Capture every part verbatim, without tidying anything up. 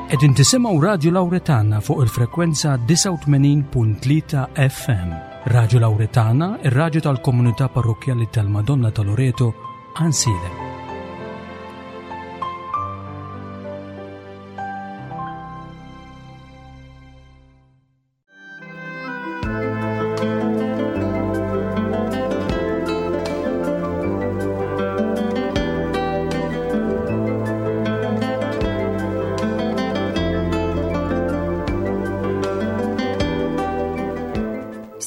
Qegħdin tisimgħu Radju Lawretana fuq il-frekwenza disgħa u tmenin punt tlieta F M. Radju Lawretana, ir-radju tal-komunità parrokkjali tal-Madonna ta' Loreto, Għajnsielem.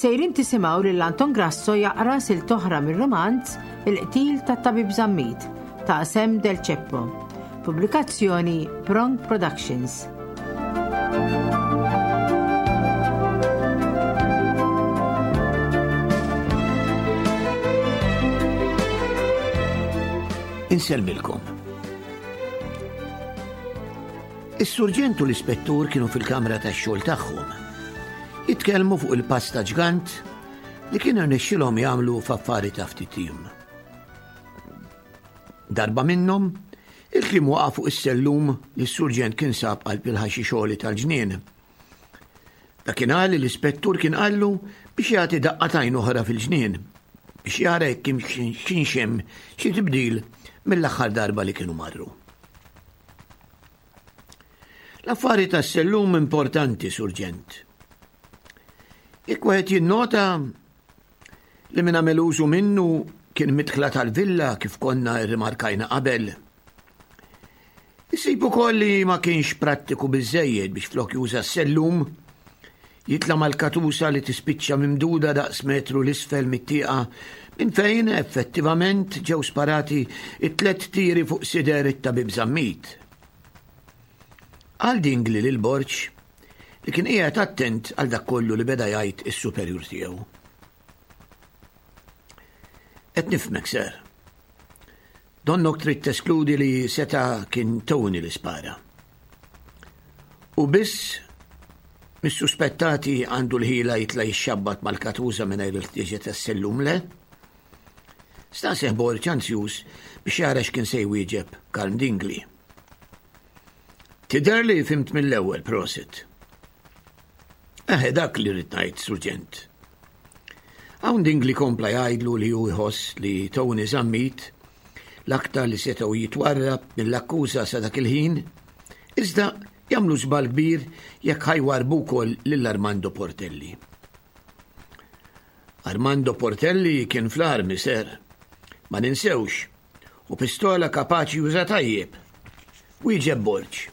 Sejrin tisimgħu lil Anton Grasso jaqra silta oħra mir-romanz Il-qtil tat-Tabib Zammit ta' Sam Del Ceppo. Pubblikazzjoni Prong Productions. Insellmilkom. Is-surġent u l-ispettur kienu fil-kamra tax-xogħol tagħhom. Jitkellmu fuq il-pass ta' ġgant li kienu rnexxilhom jagħmlu f'affari ta' ftit jiem. Darba minnhom, il-kliem waqa' fuq is-sellum li s-surġent kien sab qalb il-ħaxix għoli tal-ġnien. Dakinhar li l-ispettur kien qallu biex jagħti daqqa t'għajn oħra fil-ġnien biex jara jekk kienx hemm xi tibdil mill-aħħar darba li kienu marru. L-affari tas-sellum importanti, surġent. Jekk wieħed jinnota li min għamel użu minnu kien midħla tal-villa, kif konna rrimarkajna qabel. Isib ukoll li ma kienx prattiku biżejjed biex flok juża s-sellum jitla' mal-katusa li tispiċċa mimduda daqs metru 'l isfel mit-tieqa minn fejn effettivament ġew sparati it-tlet tiri fuq sider it-tabib Zammit. Qal Dingli lil Borg, li kien qiegħed attent għal dak kollu li beda jgħid is-superjur tiegħu. Qed nifhmek, sir. Donnok trid teskludi li seta' kien Tony li spara. U biss mis-suspettati għandu l-ħila jitla' jixxabbat mal-katuża mingħajr il-ħtieġa tas-sellum, le? Staqsieh Borg, anzjuż biex jara x'kien se jwieġeb Karm Dingli. Tidher li fhimt mill-ewwel, prosit. Eħe, dak li rrid ngħid, surġent. Hawn Dingli kompla jgħidlu li hu jħoss li Tony Zammit l-aktar li setgħu jitwarrab mill-akkuża sa dak il-ħin, iżda jagħmlu żball kbir jekk ħa jwarrbu wkoll lil Armando Portelli. Armando Portelli kien fl-armi, sir. Ma ninsewx, u pistola kapaċi juża tajjeb. Wieġeb Borg.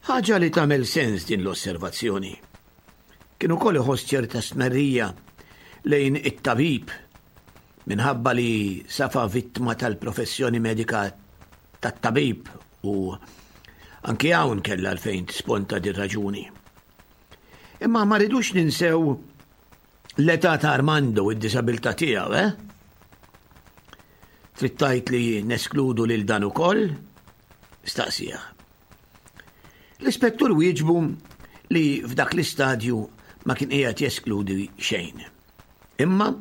Ħaġa li tagħmel sens din l-osservazzjoni. Kien ukoll iħoss ċerta stmerrija lejn it-tabib minħabba li safa vittma tal-professjoni medika tat-tabib u anki hawn kellha għalfejn tisponta din raġuni. Imma ma ridux ninsew l-età ta' Armando u d-disabilità tiegħu, eh? Trid tgħid li neskludu lil dan ukoll? Staqsieh. L-ispettur wieġbu li f'dak l-istadju ma kien qiegħed jeskludi xejn. Imma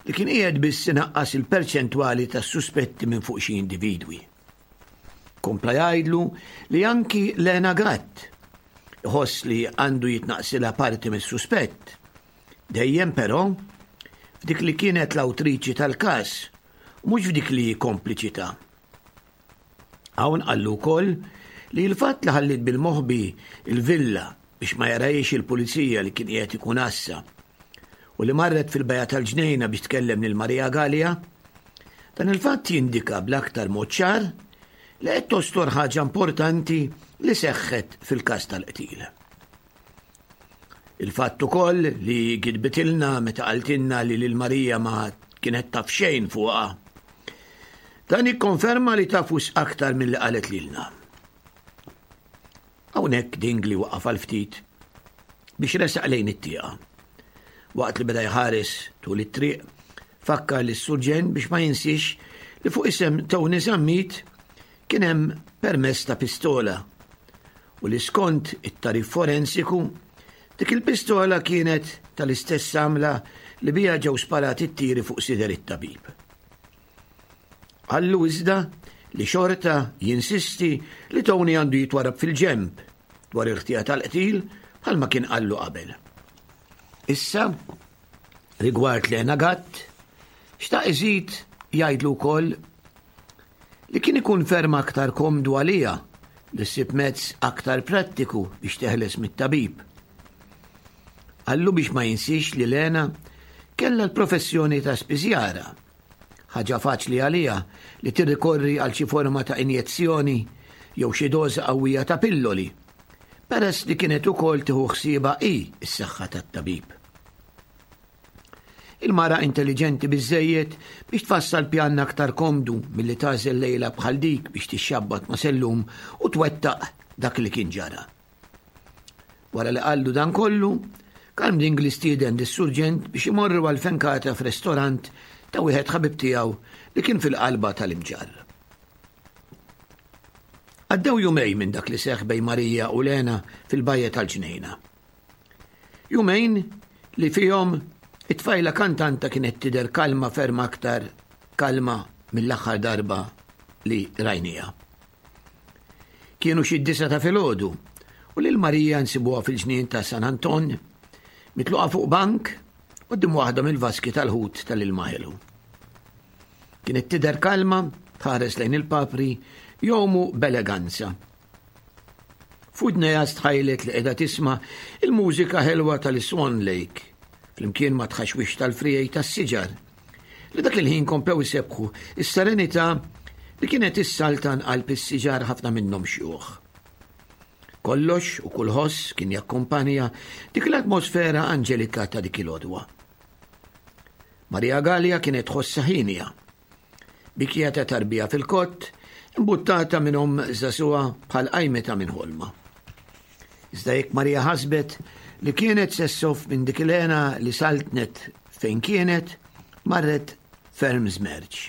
li kien qiegħed biss inaqqas il-perċentwali tas-suspetti minn fuq xi individwi. Kompla jgħidlu li anki Lena Gatt iħoss li għandu jitnaqsilha parti mis-suspett. Dejjem però f'dik li kienet l-awtriċi tal-każ, mhux f'dik li kompliċità. Hawn qallu wkoll li l-fatt li ħallit bil-moħbi il-villa biex ma jarahiex il-pulizija li kien qiegħed ikun għassa u li marret fil-bajja tal-ġnejna biex tkellem lil Maria Gallia, dan il-fatt jindika bl-aktar mod ċar li qed tostor ħaġa importanti li seħħet fil-każ tal-qtil. Il-fatt ukoll li gidbitilna meta qaltilna li lil Marija ma kienet taf xejn fuqha. Dan jikkonferma li taf wisq aktar milli qalet lilna. Hawnhekk Dingli waqaf għal ftit biex resaq lejn it-tieqa. Waqt li beda jħares tul it-triq, fakkar lis surġent biex ma jinsiex li fuq isem Tony Zammit kien hemm permess ta' pistola u li skont it-tagħrif forensiku dik il-pistola kienet tal-istess għamla li bija ġew sparati t-tiri fuq sider it-tabib. Qallu iżda li xorta jinsisti li Tony għandu jitwarab fil-ġemp dwar il-ħtija tal-qtil bħalma kien qallu qabel. Issa, rigward Lena Gatt, xtaq iżid jgħidlu wkoll li kien ikun ferm aktar komdu għaliha li ssib mezz aktar prattiku biex teħles mit-tabib. Qallu biex ma jinsiex li Lena kellha l-professjoni ta' spiżjara. Ħaġa faċli għaliha li tirrikorri għal xi forma ta' injezzjoni jew xi doża qawwija ta' pilloli, peress li kienet ukoll tieħu ħsiebha hi s-saħħa tat-tabib. Il-mara intelligenti biżejjed biex tfassal pjan aktar komdu milli tagħżel lejla bħal dik biex tixxabbat ma' sellum u twettaq dak li kien ġara. Wara li qallu dan kollu, Karm Dingli stieden lis-surġent biex imorru għal fenkata f'restorant ta' wieħed ħabib tiegħu li kien fil-qalba tal-Imġarr. Għaddew jumejn minn dak li seħħ bejn Marija u Lena fil-bajja tal-ġnejna. Jumejn li fihom it-tfajla kantanta kienet tidher kalma ferm aktar kalma mill-aħħar darba li rajnija. Kienu xi disa ta' filgħodu u lil Marija nsibuha fil-ġnien ta' San Anton mitluqa fuq bank quddiem waħda mill-vaski tal-ħut tal-ilma ħelu. Kienet tidher kalma, tħares lejn il-papri, jgħumu b'eleganza. F'widnejha stħajlet li qiegħda tisma' il-mużika ħelwa tal-Swan Lake, flimkien ma tħaxwix tal-frijej tas-siġar, li dak il-ħin komplew isebħu is-serenità li kienet issaltan qalb is-siġar ħafna minnhom xjuħ. Kollox u kull ħoss kien jakkumpanja dik l-atmosfera anġelika ta' dik il-għodwa. Maria Gallia kienet tħossha ħienja. Bikja ta' tarbija fil-kott, imbuttata minn omm żagħżugħa bħal qajmita minn ħolma. Iżda jekk Maria ħasbet li kienet se ssoff minn dik il-hena li saltnet fejn kienet, marret ferm żmerċ.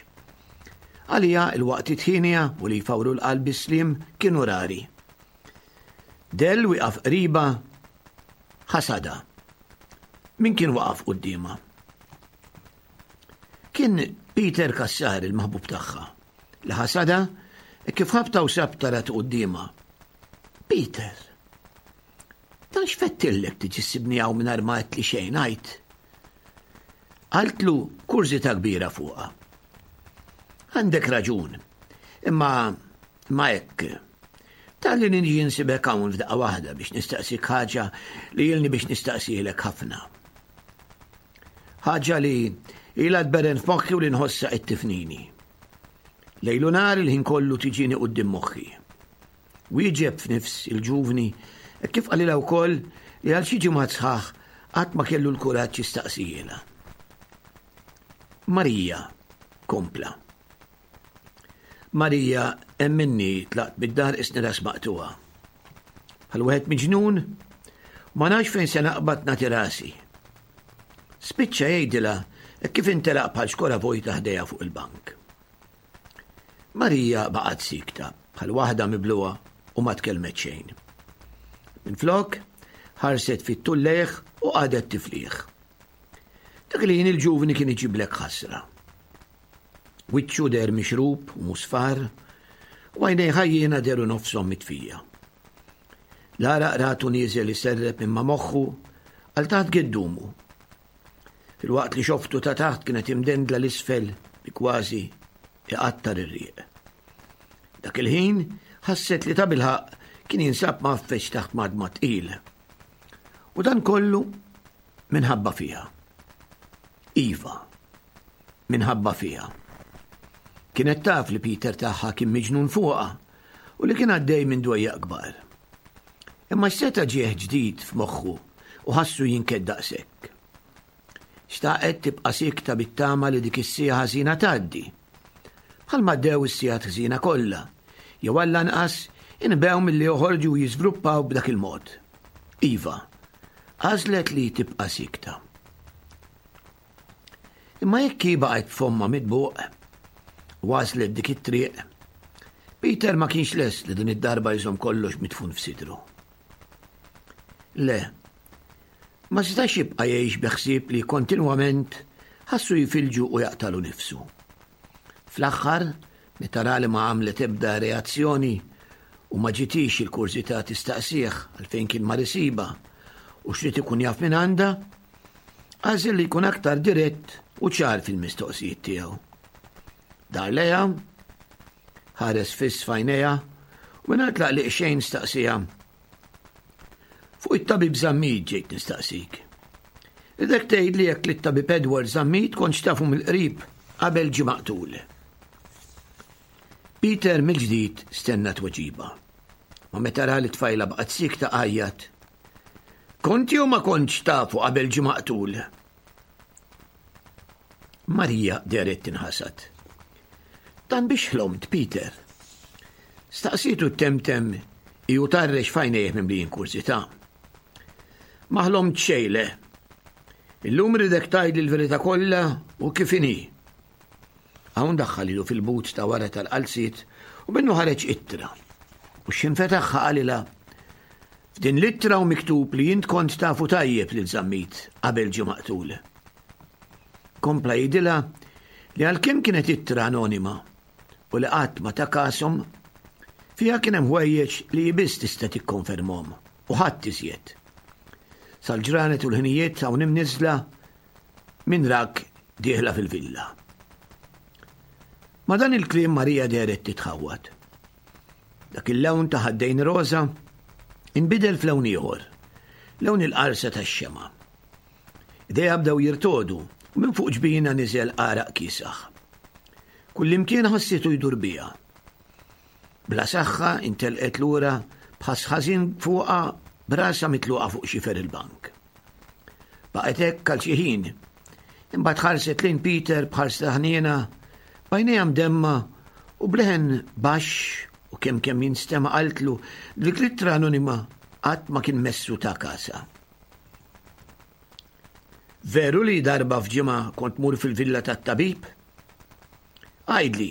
Għalija il-waqtiet ħienja u li jfawru l-qalb bis-sliem kienu rari. Del wieqaf qriba ħasada. Min kien waqaf quddiemha? Kien Peter Cassar il-maħbub tagħha li ħasada kif ħabta u sabta rat quddiemha. Peter, dan x'fettillek tiġi ssibni hawn mingħajr ma għedtli xejn għid. Qaltlu kurżità kbira fuqha. Għandek raġun, imma ma hekk. Talli niġi nsibek hawn f'daqqa waħda biex nistaqsik ħaġa li ilni biex nistaqsilek ħafna. Ħaġa li ilha tberren f'moħħi u li nħossha qed tifnini. Lejlu nar il-ħin kollu tiġini quddiem moħħi. Wieġeb f'nifs il-ġuvni kif qalilha wkoll li għal xi ġimgħat sħaħ qatt ma kellu l-kuraġġ jistaqsijielha. Marija, kompla. Marija, emminni tlaqt bid-dar isni ras maqtuha. Bħal wieħed miġnun, ma nafx fejn se naqbad nagħti rasi. Spiċċa jgħidilha kif intelaq bħal xkora vojta ħdejha fuq il-bank. Marija baqgħet sikta bħal waħda mibluha u ma tkellmet xejn. Minflok, ħarset fit-tul lejh u qagħdet tifliħ. Dak li jien il-ġuvni kien iġiblek ħasra. Wiċċu der mixrub u musfar, u għajnejh ħajjiena deru nofshom mitfija. Lara ratu nieżel iserrep imma moħħu għal taħt giddumu. Fil-waqt li xoftu ta' taħt kienet imdendla l-isfel bi kważi iqattar ir-rieq. Dak il-ħin ħasset li ta' bilħaq kien jinsab mgħaffeġ taħt madma tqil. U dan kollu minħabba fiha. Iva, minħabba fiha. Kienet taf li Peter tagħha kien miġnun fuqha u li kien għaddej minn dwejjaq kbar. Imma x'seta' ġieħ ġdid f'moħħu u ħassu jinked daqshekk. Xtaqet tibqa' sikta bit-tama li dik is-siegħa ħażina tgħaddi. Bħalma għaddew is-sigħat ħżina kollha, jew għall-anqas inbew milli joħorġu u jiżviluppaw b'dak il-mod. Iva, għażlet li tibqa' sikta. Imma jekk hi baqgħet b'fommha mitbuq, għażlet dik it-triq, Peter ma kienx lest li din id-darba jżomm kollox midfun f'sidru. Le, ma setax jibqa' jgħix bi ħsieb li kontinwament ħassu jifilġu u jaqtalu nifsu. Fl-aħħar, Meta ra li ma għamlet ebda reazzjoni u ma ġitix il-kurżità tistaqsih għalfejn kien mar isibha u x'ried ikun jaf minn għandha, għażel li jkun aktar dirett u ċar fil-mistoqsijiet tiegħu. Dar lejha, ħares fiss f'għajnejha u mingħajr tlaqliq xejn staqsiha. Fuq it-tabib Zammit ġejt nistaqsik. Irridek tgħidli jekk li t-tabib Edward Zammit kontx tafu mill-qrib qabel ġie maqtul. Peter mill-ġdid stenna tweġiba. Ma meta ra li tfajla baqgħet siekta għajjat. Kont jew ma kontx tafu qabel ġie maqtul? Marija dehret tinħasad. Dan biex ħlomt, Peter. Staqsietu ttemtem hi u tharrex f'għajnejh mimlijin kurżità. Ma ħlomt xejn le. Illum irridek tgħidli l-verità kollha u kif inhi. Hawn daħħal idu fil-but ta' wara tal-qalziet u minnu ħareġ ittra. U x'ħin fetaħha qalilha f'din l-ittra hu miktub li int kont tafu tajjeb lil Zammit qabel ġie maqtul. Kompla jgħidilha li għalkemm kienet ittra anonima u li qatt ma ta kashom, fiha kien hemm ħwejjeġ li hi biss tista' tikkonfermhom u ħadd iżjed. Sal-ġranet u l-ħinijiet hawn imniżla min rak dieħla fil-villa. Ma dan il-kliem Marija dehret titħawwad. Dak il-lewn ta' ħaddejn roża inbidel f'lewn ieħor, lewn il-qarsa tax-xema. Idejha bdew jirtogħdu u minn fuq ġbinha niżel għaraq kiesaħ. Kullimkien ħassitu jdur biha. Bla saħħa intelqet lura b'ħass ħażin fuqha b'rasha mitluqa fuq xifer il-bank. Baqgħet hekk għal xi ħin. Imbagħad ħarset lejn Peter b'ħarsa ħniena, b'għajnejha mdemma u b'leħen baxx u kemm kemm jinstema' qaltlu li dik l-ittra anonima qatt ma kien messu ta kasha. Veru li darba f'ġimgħa kont tmur fil-villa tat-tabib? Għidli,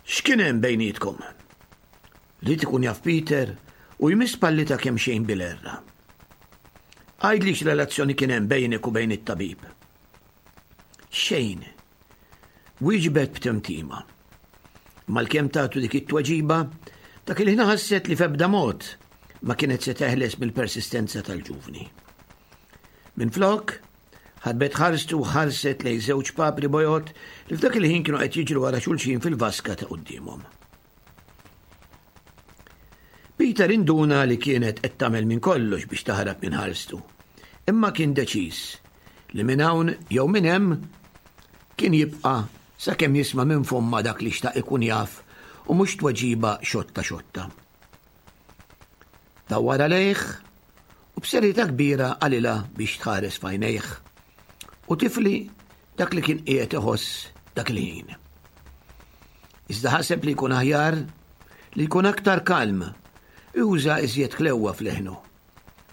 x'kien hemm bejnietkom? Ried ikun jaf Peter u jmiss pallitha kemm xejn bil-erra. Għidli x'relazzjoni kien hemm bejnek u bejn it-tabib. Xejn. Wieġbet b'temtima. Malkemm tatu dik it-tweġiba, dak il-ħin ħasset li f'ebda mod ma kienet se teħles mill-persistenza tal-ġuvni. Minflok, ħarbet ħarstu u ħarset lejn żewġ papri bojod li f'dak il-ħin kienu qed jiġru wara xulxin fil-vaska ta' quddiemhom. Peter induna li kienet qed tagħmel minn kollox biex taħrab minn ħarstu, imma kien deċiż li minn hawn jew minn hemm kien jibqa' sakemm jisma' minn fomma dak li xtaq ikun jaf u mhux tweġiba xotta xotta. Dawwarha lejh u b'serjetà kbira qalilha biex tħares f'għajnejh u tifli dak li kien qiegħed iħoss dak il-ħin. Iżda ħaseb li jkun aħjar li jkun aktar kalm, juża iżjed ħlewwa f'leħnu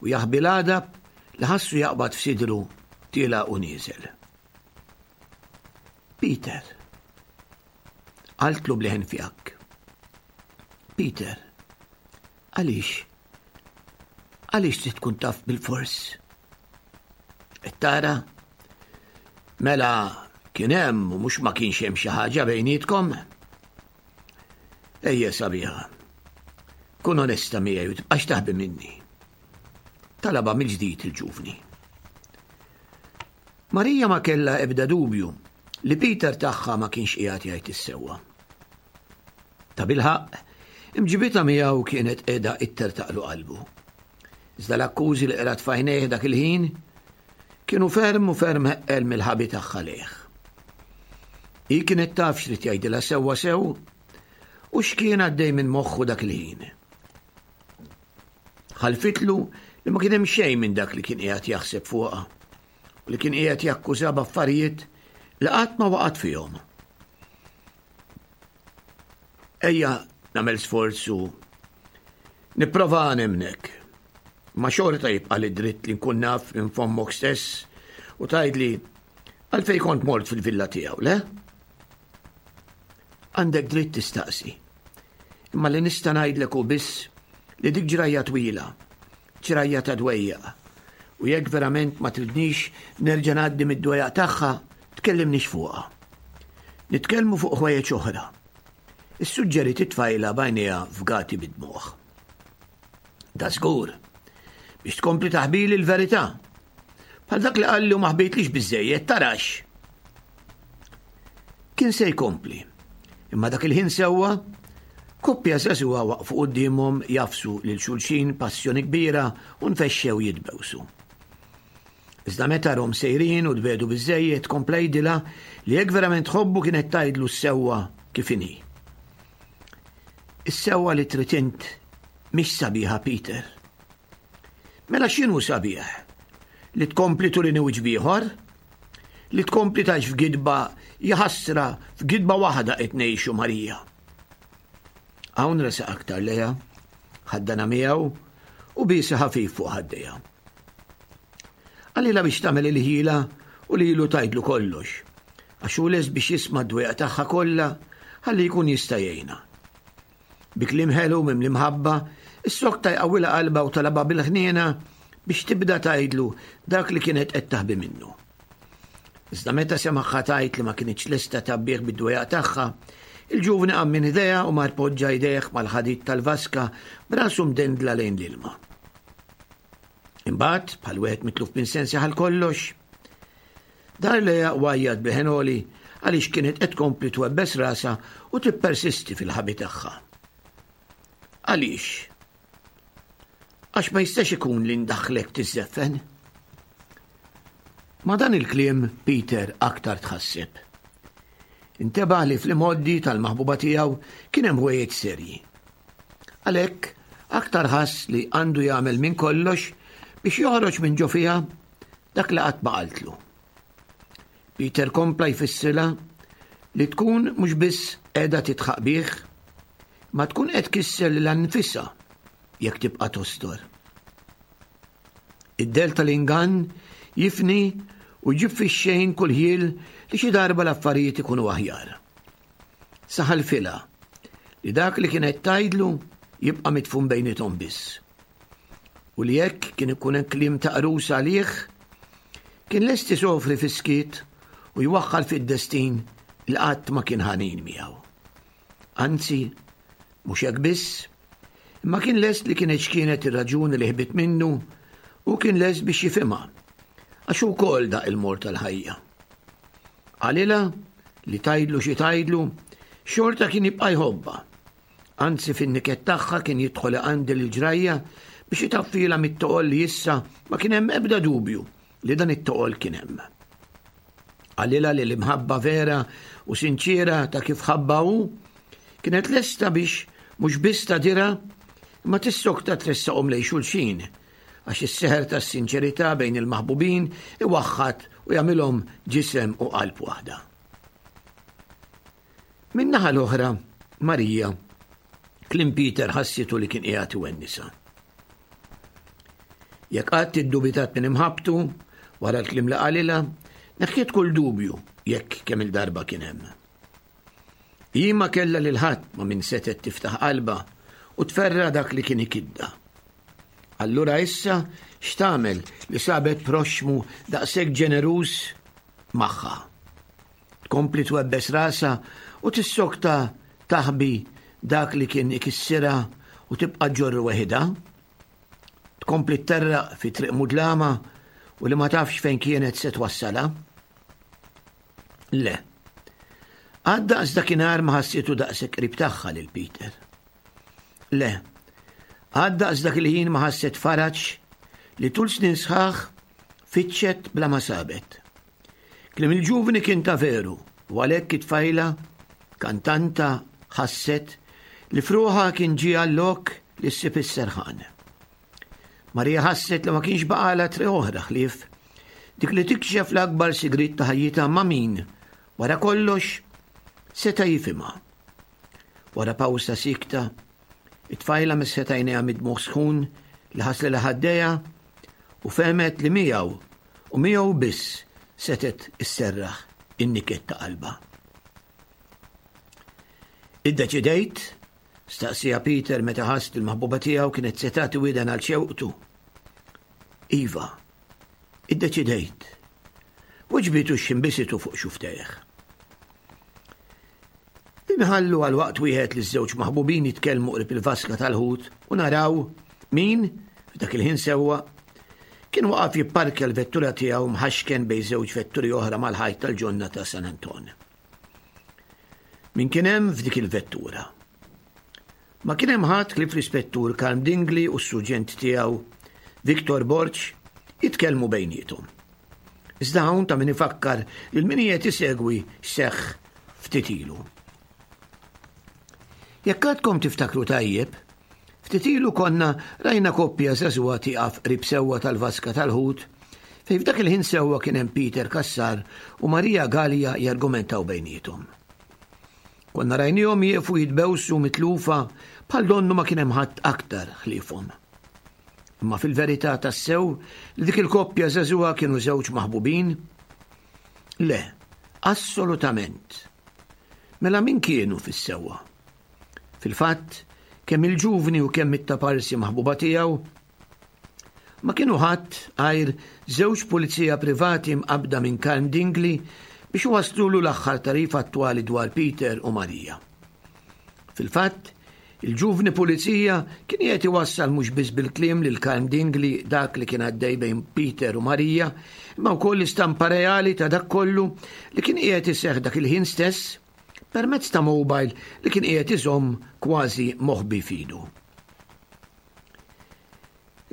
u jaħbi l-għadab li ħassu jaqbad f'sidru tiela' u nieżel. Peter, qaltlu b'leħen fjakk. Peter, għaliex? Għaliex trid tkun taf bil-fors? Qed tara? Mela kien hemm u mhux ma kienx hemm xi ħaġa bejnietkom? Ejja sabiħa. Kun onesta miegħi u tibqax taħbi minni. Talaba mill-ġdid il-ġuvni. Marija ma kellha ebda dubju li Peter tagħha ma kienx qiegħed jgħid is-sewwa. Ta' bilħaqq, imġibitha miegħu kienet qiegħda ittertaqlu qalbu. Iżda l-akkużi li qrat f'għajnejh dak il-ħin kienu ferm u ferm eqqel mill-ħabi tagħha lejh. Hi kienet taf x'rid jgħidilha sewwa sew u x'kien għaddej minn moħħu dak il-ħin. Ħalfitlu li ma kien hemm xejn minn dak li kien qiegħed jaħseb fuqha u li kien qiegħed jakkuża b'affarijiet li qatt ma waqgħet fihom. Ejja nagħmel sforz u nipprova nemnek. Ma xorta jibqa' li dritt li nkun naf minn fommok stess u tgħidli għalfejn kont mort fil-villa tiegħu, le? Għandek dritt tistaqsi. Imma li nista' ngħidlek hu biss li dik ġrajja twila, ġrajja ta' dwejjaq. U jekk verament ma tridnix nerġa' ngħaddi mid-dwejjaq tagħha, tkellimnix fuqha. Nitkellmu fuq ħwejjeġ oħra. Issuġġeriet it-tfajla b'għajnejha fgati bid-dmugħ. Da żgur, biex tkompli taħbili l-verità. Bħal dak li qalli u ma ħbejtlix biżejjed, tarax. Kien se jkompli, imma dak il-ħin sewwa, koppja żagħżugħa waqfu quddiemhom jagħfsu lil xulxin passjoni kbira u nfexxew jitbewsu. Iżda meta rahom sejrin u tbiegħdu biżejjed kompla jgħidilha li jekk verament tħobbu kienet tgħidlu s-sewwa kif inhi. Is-sewwa li trid int mhix sabiħa, Peter. Mela x'inhu sabiħ? Li tkompli turini wiċċ b'ieħor? Li tkompli tgħix f'gidba, jaħasra, f'gidba waħda qed ngħixu, Marija. Hawn resaq aktar lejha, ħaddanha miegħu u biesha ħafif fuq ħaddejha. Qalilha biex tagħmel il-ħila u lilu tgħidlu kollox, għax hu lest biex jisma' d-dwejjaq tagħha kollha ħalli jkun jista' jgħinha. Bi kliem ħelu mimli mħabba, issokta jqawwilha qalbha u talabha bil-ħniena biex tibda tgħidlu dak li kienet qed taħbi minnu. Iżda meta semagħha tgħid li ma kinitx lesta tgħabbih bid-dwejjaq tagħha, il-ġuvni qam minn ħdejha u mar poġġa jdejh mal-ħadid tal-vaska b'rasu mdendla lejn l-ilma. Imbagħad, bħal wieħed mitluf minn sensi għal kollox, dar lejha u għajjat b'leħen għoli għaliex kienet qed tkompli twebbes rasha u tippersisti fil-ħabi tagħha. Għaliex? Għax ma jistax ikun li ndaħħlek tiżżeffen. Ma dan il-kliem Peter aktar tħasseb. Intebaħ li fl-imgħoddi tal-maħbuba tiegħu kien hemm ħwejjeġ serji. Għalhekk aktar ħass li għandu jagħmel minn kollox biex joħroġ minn ġo fiha dak li qatt ma qaltlu. Peter kompla jfissirha li tkun mhux biss qiegħda tidħaq bih, ma tkun qed tkisser lilha nfisha jekk tibqa' tostor. Id-dell tal-ingann jifni u jġib fix-xejn kull ħjiel li xi darba l-affarijiet ikunu aħjar. Saħalfilha li dak li kienet tgħidlu jibqa' mitfun bejniethom biss. U li jekk kien ikun hemm kliem ta' qrus għalih, kien lest isofri fis-skiet u jwaħħal fid-destin li qatt ma kien ħanin miegħu. Anzi, mhux hekk biss, imma kien lest li kienet x'kienet ir-raġuni li ħbit minnu u kien lest biex jifhimha, għax ukoll daq il-mor tal-ħajja. Qalilha li tgħidlu xi tgħidlu, xorta kien jibqa' jħobbha. Anzi fin-niket tagħha kien jidħol iqandel il-ġrajja biex itaffilha mit-toqol li issa ma kien hemm ebda dubju li dan it-toqol kien hemm. Qalilha li l-imħabba vera u sinċiera ta' kif ħabba hu kienet lesta biex mhux biss tagħdirha imma tissokta tressaqhom lejn xulxin, għax is-seħer tas-sinċerità bejn il-maħbubin iwaħħad u jagħmilhom ġisem u qalb waħda. Min-naħa l-oħra, Marija, kliem Peter ħassitu li kien qiegħed iwennisa. Jekk qatt iddubitat minn imħabbtu, wara l-kliem li qalilha, neħħiet kull dubju jekk kemm il-darba kien hemm. Hi ma kellha lil ħadd ma' min setgħet tiftaħ qalbha u tferra dak li kien ikidda. Allura issa x'tagħmel li sabet proxxmu daqshekk ġeneruż magħha? Tkompli twebbes rasha u tissokta taħbi dak li kien ikissirha u tibqa' ġorru weħidha? Tkompli tterraq fi triq mudlama u li ma tafx fejn kienet se twassalha? Le. Għad daqs dakinhar ma ħassitu daqshekk qrib tagħha lil Peter. Le. Għad daqs dak il-ħin ma ħasset faraġ li tul snin sħaħ fitxet bla ma sabet. Kliem il-ġuvni kien ta' veru u għalhekk it-tfajla kantanta ħasset li f'ruħha kien ġie għal-lok li ssib is-serħan. Marija ħasset li ma kienx baqalha triq oħra ħlief dik li tikxef l-akbar sigriet ta' ħajjitha ma' min, wara kollox, seta' jifhimha. Wara pawsa sikta, it-tfajla mesħet għajnejha mid-dmugħ sħun li ħaslilha ħaddejha u fehmet li miegħu u miegħu biss setgħet isserraħ in-niket ta' qalbha. Iddeċidejt? Staqsija Peter meta ħass li l-maħbuba tiegħu kienet se tagħti widen għal xewqtu. Iva, iddeċidejt. Wiġbitu x'imbisitu fuq xuftejh. Inħallu għal waqt wieħed li żewġ maħbubin jitkellmu qrib il-vaska tal-ħut u naraw min, f'dak il-ħin sewwa, kien waqaf jipparkja l-vettura tiegħu mħaxken bejn żewġ vetturi oħra mal-ħajt tal-ġonna ta' San Anton. Min kien hemm f'dik il-vettura? Ma kien hemm ħadd ħlief l-Ispettur Karm Dingli u s-suġent tiegħu Victor Borg jitkellmu bejniethom. Iżda hawn ta' min ifakkar lil min qiegħed isegwi x'seħħ ftit ilu. Jekk għadkom tiftakru tajjeb, ftit ilu konna rajna koppja żagħżugħa tieqaf qrib sewwa tal-vaska tal-ħut fejn f'dak il-ħin sewwa kien hemm Peter Cassar u Maria Gallia jargumentaw bejniethom. Konna rajnihom jieqfu jitbewsu mitlufa bħal donnu ma kien hemm ħadd aktar ħliefhom. Imma fil-verità tassew li dik il-koppja żagħżugħa kienu żewġ maħbubin? Le, assolutament. Mela min kienu fis-sewwa? Fil-fatt, kemm il-ġuvni u kemm it-taparsi maħbuba tiegħu ma kienu ħadd għajr żewġ pulizija privati mqabbda minn Karm Dingli biex iwasslulu l-aħħar tagħrif attwali dwar Peter u Maria. Fil-fatt, il-ġuvni pulizija kien qiegħed iwassal mhux biss bil-kliem lil Karm Dingli dak li kien għaddej bejn Peter u Maria, imma wkoll l-istampa reali ta' dak kollu li kien qiegħed iseħħ dak il-ħin stess permezz ta' mobile li kien qiegħed iżomm kważi moħbi f'idu.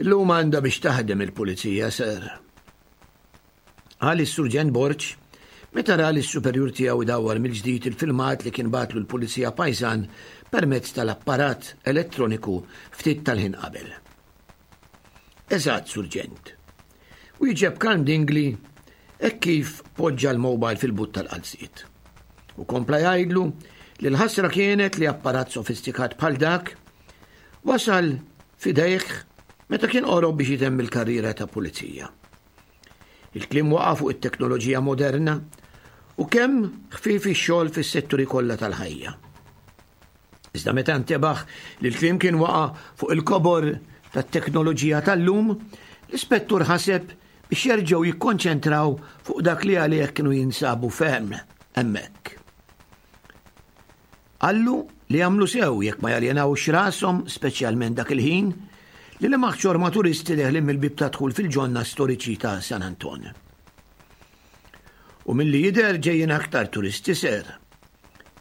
Illum għandha biex taħdem il-pulizija, sir. Qal is-Surġent Borg meta ra lis-superjur tiegħu jdawwar mill-ġdid il-filmat li kien bagħatlu l-pulizija pajżan permezz tal-apparat elettroniku ftit tal-ħin qabel. Eżatt, Surġent. Wieġeb Karm Dingli hekk kif poġġa l-mobile fil-but tal-qalziet. U kompla jgħidlu li l-ħasra kienet li apparat sofistikat bħal dak wasal f'idejh meta kien qorob biex jitemm il-karriera ta' pulizija. Il-kliem waqa' fuq it-teknoloġija moderna u kemm ħfief ix-xogħol fis-setturi kollha tal-ħajja. Iżda meta ntebaħ li l-kliem kien waqa' fuq il-kobor tat-teknoloġija tal-lum, l-ispettur ħaseb biex jerġgħu jikkonċentraw fuq dak li għalih kienu jinsabu ferm hemmhekk. Qallu li jagħmlu sew jekk ma jaljenawx rashom speċjalment dak il-ħin li lemaħ ċorma turisti deħlin mill-bieb ta' dħul fil-ġonna storiċi ta' San Anton. U milli jidher ġejjin aktar turisti, sir.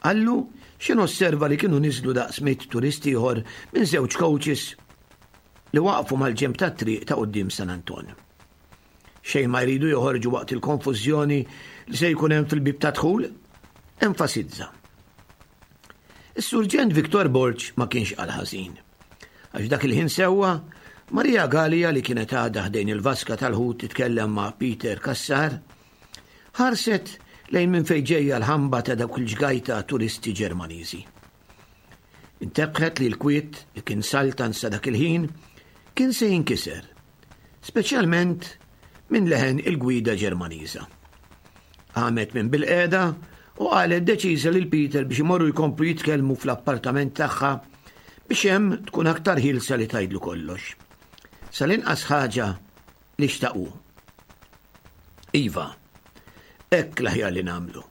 Qallu x'ħin osserva li kienu niżlu daqs mitt turisti ieħor minn żewġ coaches li waqfu mal-ġenb tat-triq ta' quddiem San Anton. Xejn ma jridu joħorġu waqt il-konfużjoni li se jkun hemm fil-bieb ta' dħul, enfasizza. Is-Surġent Victor Borg ma kienx qal ħażin. Għax dak il-ħin sewwa, Maria Gallia li kienet għadha ħdejn il-vaska tal-ħut titkellem ma' Peter Cassar, ħarset lejn minn fejn ġejja l-ħamba ta' dawk il-ġgajta turisti Ġermaniżi. Intebħet li l-kwiet li kien saltan sa dak il-ħin kien se jinkiser, speċjalment minn leħen il-gwida Ġermaniża. Qamet minn bil-qiegħda u qalet deċiża lil Peter biex imorru jkomplu jitkellmu fl-appartament tagħha biex hemm tkun aktar ħielsa li tgħidlu kollox. Sal-inqas ħaġa li xtaqu. Iva, hekk l-aħjar li nagħmlu.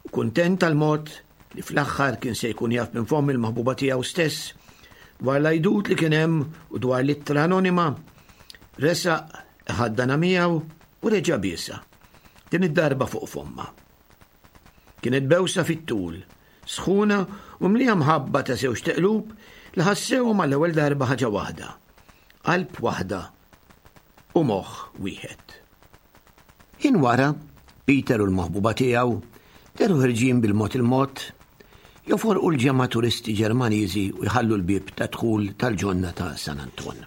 U kuntent tal-mod li fl-aħħar kien se jkun jaf minn fomm il-maħbuba tiegħu stess dwar l-għajdut li kien hemm u dwar l-ittra anonima, resaq ħaddana miegħu u reġa' biesha, din id-darba fuq fomma. Kienet bewsa fit-tul, sħuna u mlija mħabba ta' żewġ teqlub li ħassewhom għall-ewwel darba ħaġa waħda, qalb waħda u moħħ wieħed. Ħin wara, Peter u l-maħbuba tiegħu dehru ħerġin bil-mod il-mod joforqu l-ġemgħa turisti Ġermaniżi u jħallu l-bieb ta' dħul tal-ġonna ta' San Anton.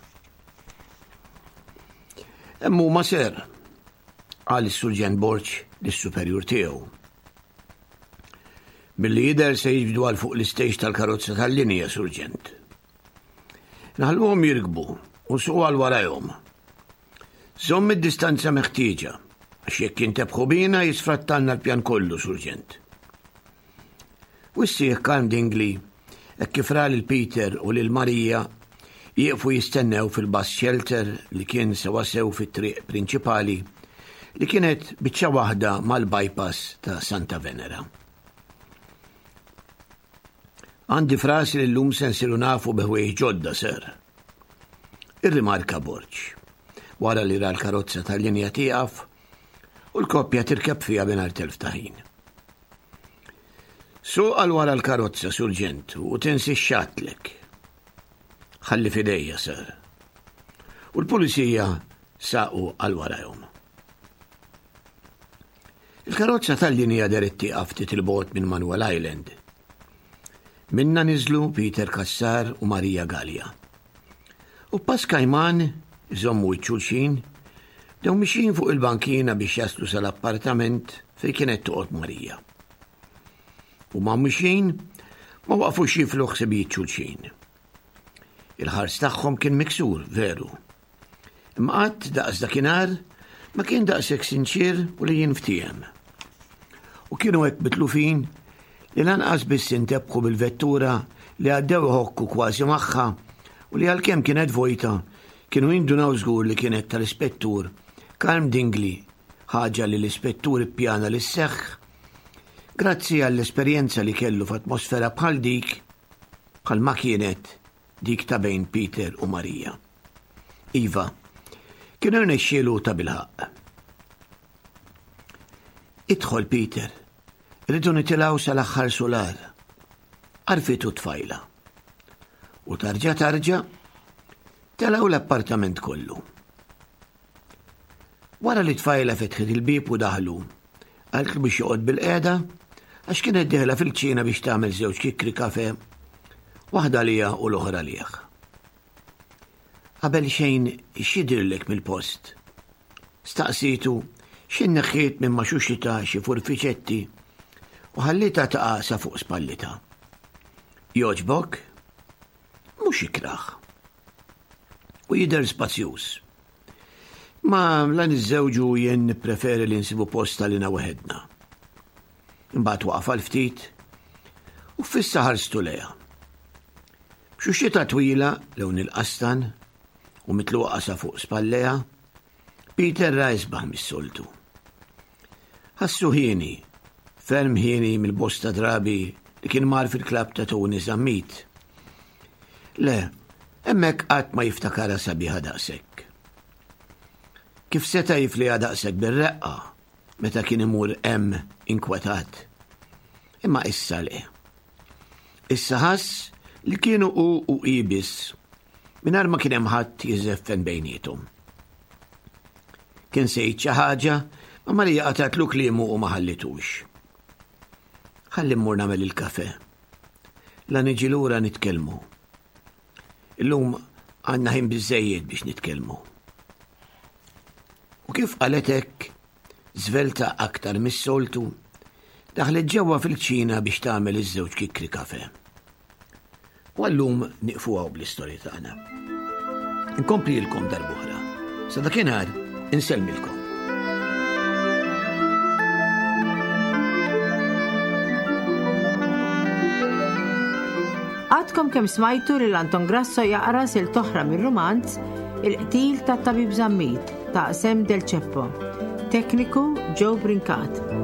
Hemm huma, sir, qal is-Surġent Borg lis-superjur tiegħu. Milli jidher se jiġbdu għal fuq l-istejġ tal-karozza tal-linja, Surġent. Naħalluhom jirkbu u nsuqu għal warajhom. Żomm id-distanza meħtieġa, għax jekk jintebħu bina jisfrattalna l-pjan kollu, Surġent. Wissieħ Karm Dingli hekk kif ra lil Peter u lil Marija jieqfu jistennew fil-bus shelter li kien sewasew fit-triq prinċipali li kienet biċċa waħda mal-bypass ta' Santa Venera. Għandi f'rasi li llum se nsiru nafu bi ħwejjeġ ġodda, sir. Irrimarka Borg, wara li ra l-karozza tal-linja tieqaf u l-koppja tirkeb fiha mingħajr telf ta' ħin. Suq għal wara l-karozza, Surġent, u tinsiex x'għedtlek. Ħalli f'idejja, sir. U l-pulizija saqu għal warajhom. Il-karozza tal-linja dehret tieqaf ftit 'il bogħod minn Manuel Island. Minna niżlu Peter Cassar u Maria Gallia. U pass kajman, iżommu xulxin, bdew mixjin fuq il-bankina biex jaslu sal-appartament fejn kienet toqgħod Marija. U huma mixjin ma waqfux jiflu ħsibijiet xulxin. Il-ħars tagħhom kien miksur, veru. Imma qatt daqs dakinhar ma kien daqshekk sinċier u li jinftiehem. U kienu hekk mitlufin li lanqas biss intebħu bil-vettura li għaddew iħokku kważi magħha u li għalkemm kienet vojta kienu jindunaw żgur li kienet tal-ispettur Karm Dingli, ħaġa li l-ispettur ippjana li sseħħ grazzi għall-esperjenza li kellu f'atmosfera bħal dik bħal ma kienet dik ta' bejn Peter u Marija. Iva, kienu rnexxielu ta' bilħaqq. Idħol Peter, rridu nitilgħu sal-aħħar sular. Għarrfitu t-tfajla. U tarġa tarġa, telgħu l-appartament kollu. Wara li t-tfajla fetħet il-bib u daħlu, qaltlu biex joqgħod bilqiegħda għax kienet dieħla fil-kċina biex tagħmel żewġ kikri kafe, waħda lija u l-oħra lih. Qabel xejn x'jidhirlek mill-post. Staqsitu x'ħin neħħiet minn ma' xuxita xi furfiċetti u ħallita taqa' sa fuq spallita. Jogħġbok? Mhux ikrah. U jidher spazjuż. Ma la niżżewġu jien nippreferi li nsibu post għalina waħedna. Imbagħad waqaf għal ftit u fissa ħarstu lejha. B'xuxita twila lewn il-qastan u mitluqa sa fuq spallejha, Peter ra isbaħ mis-soltu. Ħassu hieni, ferm hieni mill-bosta drabi li kien mar fil-klabb ta' Tony Zammit. Le, hemmhekk qatt ma jiftakarha sabiħa daqshekk. Kif seta' jifliha daqshekk bir-reqqa meta kien imur hemm inkwetat. Imma issa le. Issa ħass li kienu hu u hi biss mingħajr ma kien hemm ħadd jiżeffen bejniethom. Kien se jgħid xi ħaġa, ma Marija qatgħatlu kliemu u ma ħallitux. Ħalli mmur nagħmel il-kafe. La niġi lura nitkellmu. Illum għandna ħin biżejjed biex nitkellmu. U kif qalet hekk, żvelta aktar mis-soltu, daħlet ġewwa fil-kċina biex tagħmel iż-żewġ kikri kafe. U għallum nieqfu hawn bl-istorja tagħna. Inkomplilkom darb'oħra. Sa dakinhar insellmilkom. Għadkom kemm smajtu lil Anton Grasso jaqra silta oħra mir-rumanz Il-qtil tat-tabib Zammit ta' Sam Del Ceppo. Tekniku Joe Brincat.